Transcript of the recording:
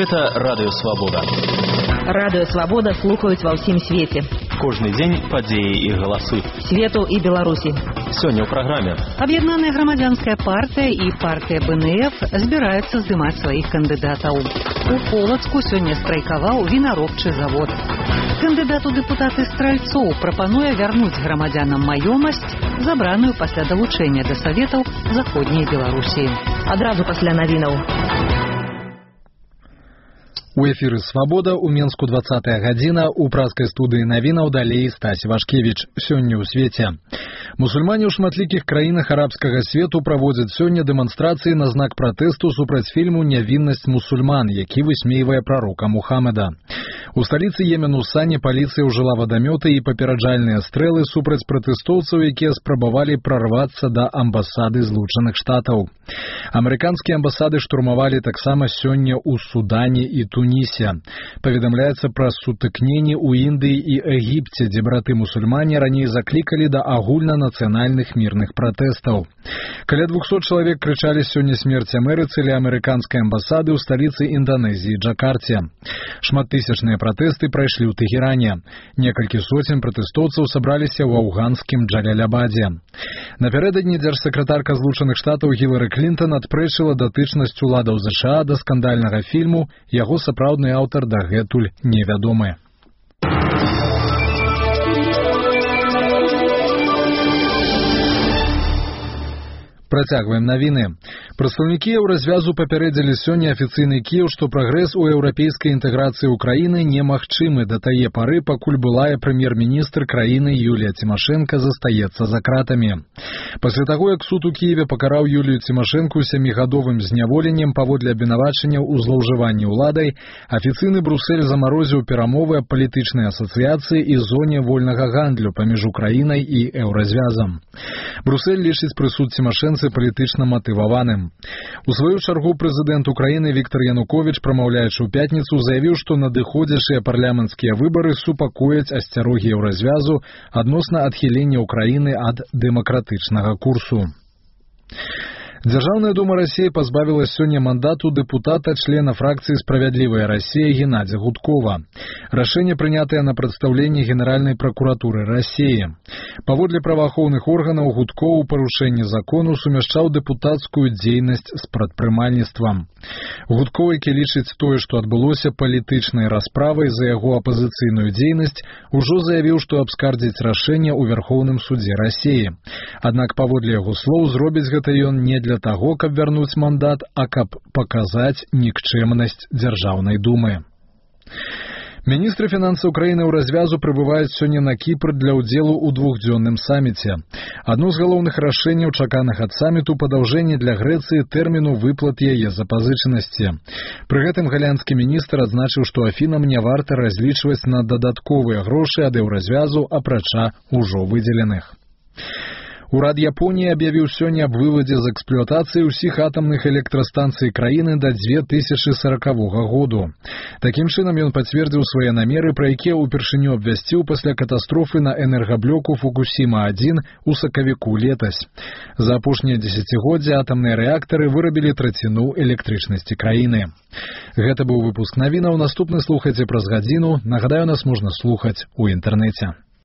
Гэта Радыё Свабода. Радыё Свабода слухаюць ва ўсім свеце. Кожны дзень падзеі і галасы. Свету і Беларусі. Сёння ў праграме. Аб'яднаная грамадзянская партыя і партыя БНФ збіраюцца здымаць сваіх кандыдатаў. У Полацку сёння страйкаваў вінаробчы завод. Кандыдат у дэпутаты Стральцоў прапануе вярнуць грамадзянам маёмасць, забраную пасля далучэння да саветаў заходняй Беларусі. Адразу пасля навінаў. У эфіры «Свабода» у Менску 20-я гадзіна, у празкай студыі навінаў далей Стась Вашкевіч. Сёння ў свеце. Мусульмане ў шматлікіх краінах арабскага свету праводзяць сёння дэманстрацыі на знак пратэсту супраць фільму «Нявіннасць мусульман», які высмейвае прарока Мухаммеда. У сталіцы Йемену Сане паліцыя ўжыла вадамёты і папераджальныя стрэлы супраць пратэстоўцаў, якія спрабавалі прарвацца да амбасады Злучаных Штатаў. Амерыканскія амбасады штурмавалі таксама сёння ў Судане і Тунісе. Паведамляецца пра сутыкненні ў Індыі і Егіпце, дзе браты-мусульмане раней заклікалі да агульнанацыянальных мірных пратэстаў. Каля 200 чалавек крычалі сёння смерць Амерыцы ля амерыканскай амбасады ў сталіцы Інданезіі Джакарце. Шматтысячныя пратэсты прайшлі ў Тэгеране. Некалькі соцень пратэстоўцаў сабраліся ў афганскім Джалялябадзе. Напярэдадні дзяржсакратарка Злучаных Штатаў Гілары Клінтон адпрэчыла датычнасць уладаў ЗША да скандальнага фільму, яго сапраўдны аўтар дагэтуль невядомы. Працягваем навіны. Прадстаўнікі еўразвязу папярэдзілі сёння афіцыйны Кіеў, што прагрэс у еўрапейскай інтэграцыі ўкраіны немагчымы да тае пары, пакуль былая прэм'ер-міністр краіны Юлія Цімашэнка застаецца за кратамі. Пасля таго, як суд у Кіеве пакараў Юлію Цімашэнку 7гадовым зняволеннем паводле абвінавачанняў у злоўжыванні ўладай, афіцыйны Брусэль замарозіў перамовы аб палітычнай асацыяцыі і зоне вольнага гандлю паміж Украінай і еўразвязам. Брусэль лічыць прысуд Цімашэнцы палітычна матываваным. У сваю чаргу прэзідэнт Украіны Віктар Януковіч, прамаўляючы ў пятніцу, заявіў, што надыходзячыя парламенцкія выбары супакояць асцярогі еўразвязу адносна адхілення Украіны ад дэмакратычнага курсу. Дзяржаўная дума Расіі пазбавіла сёння мандату дэпутата, члена фракцыі «Справядлівая Расія» Геннадзя Гудкова. Рашэнне прынятае на прадстаўленні Генеральнай пракуратуры Расіі. Паводле праваахоўных органаў, Гудков у парушэнні закону сумяшчаў дэпутацкую дзейнасць з прадпрымальніцтвам. Гудков, які лічыць тое, што адбылося палітычнай расправай за яго апазіцыйную дзейнасць, ужо заявіў, што абскардзіць рашэнне ў Вярхоўным судзе Расіі. Аднак, паводле яго слоў, зробіць гэта ён не для таго, каб вярнуць мандат, а каб паказаць нікчэмнасць дзяржаўнай думы. Міністры фінансаў краіны ў развязу прыбываюць сёння на Кіпр для ўдзелу ў двухдзённым саміце. Адно з галоўных рашэнняў, чаканых ад саміту, падаўжэнне для Грэцыі тэрміну выплат яе запазычанасці. Пры гэтым галандскі міністр адзначыў, што Афінам не варта разлічваць на дадатковыя грошы ад еўразвязу, апрача ўжо выдзеленых. Урад Японіі аб'явіў сёння аб вывадзе з эксплуатацыі ўсіх атамных электрастанцый краіны да 2040 году. Такім чынам ён пацвердзіў свае намеры, пра якія ўпершыню абвясціў пасля катастрофы на энергаблоку Фукусіма-1 у сакавіку летась. За апошнія дзесяцігоддзя атамныя рэактары вырабілі траціну электрычнасці краіны. Гэта быў выпуск навінаў. Наступны слухайце праз гадзіну. Нагадаю, нас можна слухаць у інтэрнэце.